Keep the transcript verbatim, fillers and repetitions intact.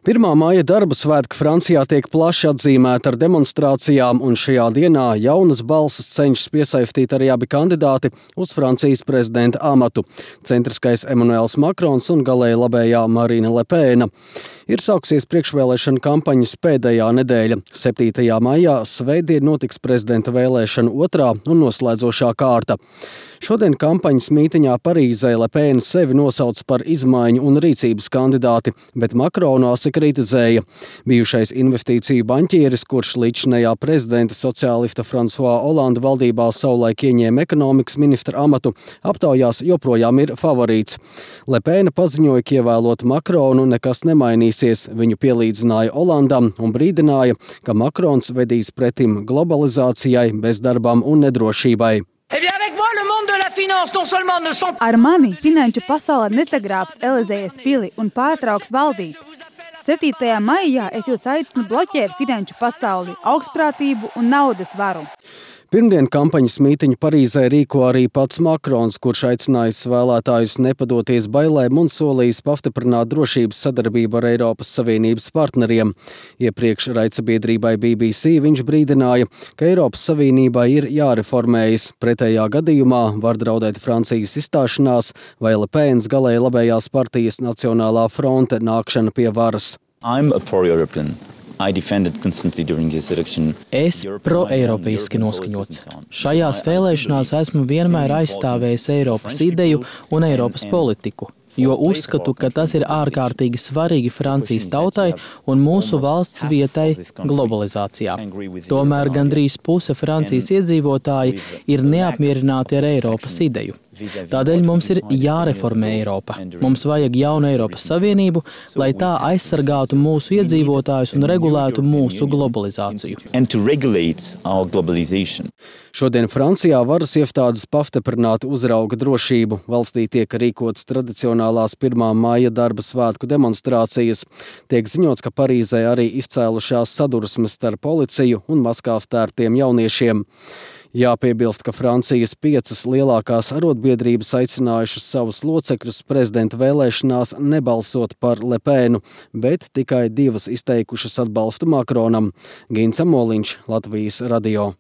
Pirmā maija darba svētki Francijā tiek plaši atzīmēti ar demonstrācijām, un šajā dienā jaunas balsis cenšas piesaistīt arī abi kandidāti uz Francijas prezidenta amatu – centriskais Emmanuels Macrons un galēji labējā Marine Le Pen. Ir sāksies priekšvēlēšana kampaņas pēdējā nedēļa. septītajā maijā svētdien notiks prezidenta vēlēšana otrā un noslēdzošā kārta. Šodien kampaņas mītiņā Parīzē Le Pen sevi nosauc par izmaiņu un rīcības kandidāti, bet Macronu asi kritizēja. Bijušais investīciju baņķieris, kurš līdzinējā prezidenta sociālista François Hollande valdībā savulaik ieņēma ekonomikas ministra amatu, aptaujās joprojām ir favorīts. Le Pen paziņoja, ka ievēlot Macronu nekas nemainīsies. Viņu pielīdzināja Hollandam un brīdināja, ka Macrons vedīs pretim globalizācijai, bezdarbam un nedrošībai. Ar mani finanšu pasaule nesagrābs Elizējas pili un pārtrauks valdīt. septītajā maijā es jūs aicinu bloķēt finanšu pasauli, augstprātību un naudas varu. Pirmdien kampaņas mītiņu Parīzē rīko arī pats Macrons, kurš aicinājis vēlētājus nepadoties bailēm un solījis pastiprināt drošības sadarbību ar Eiropas Savienības partneriem. Iepriekš raidsabiedrībai B B C viņš brīdināja, ka Eiropas Savienībai ir jāreformējas. Pretējā gadījumā var draudēt Francijas izstāšanās vai Le Pens galēji labējās partijas Nacionālā fronte nākšana pie varas. I'm a pro-European. Es pro-eiropeiski noskaņots. Šajās vēlēšanās esmu vienmēr aizstāvējis Eiropas ideju un Eiropas politiku, jo uzskatu, ka tas ir ārkārtīgi svarīgi Francijas tautai un mūsu valsts vietai globalizācijā. Tomēr gandrīz puse Francijas iedzīvotāji ir neapmierināti ar Eiropas ideju. Tādēļ mums ir jāreformē Eiropa. Mums vajag jaunu Eiropas Savienību, lai tā aizsargātu mūsu iedzīvotājus un regulētu mūsu globalizāciju. Šodien Francijā varas iestādes pastiprināti uzrauga drošību. Valstī tiek rīkotas tradicionālās pirmā maija darba svētku demonstrācijas. Tiek ziņots, ka Parīzē arī izcēlušās sadursmes starp policiju un maskās tērptiem jauniešiem. Jāpiebilst, ka Francijas piecas lielākās arotbiedrības aicinājušas savus locekļus prezidenta vēlēšanās nebalsot par Le Penu, bet tikai divas izteikušas atbalstu Macronam. Gins Amoliņš, Latvijas radio.